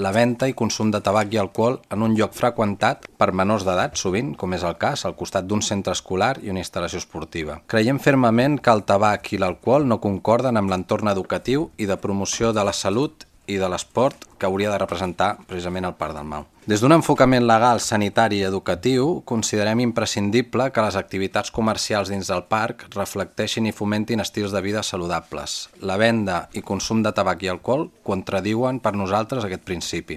la venda i consum de tabac i alcohol en un lloc freqüentat per menors d'edat, sovint, com és el cas, al costat d'un centre escolar i una instal·lació esportiva. Creiem fermament que el tabac i l'alcohol no concorden amb l'entorn educatiu i de promoció de la salut i de l'esport que hauria de representar precisament el Parc del Mau. Des d'un enfocament legal, sanitari i educatiu, considerem imprescindible que les activitats comercials dins del parc reflecteixin i fomentin estils de vida saludables. La venda i consum de tabac i alcohol contradiuen per nosaltres aquest principi.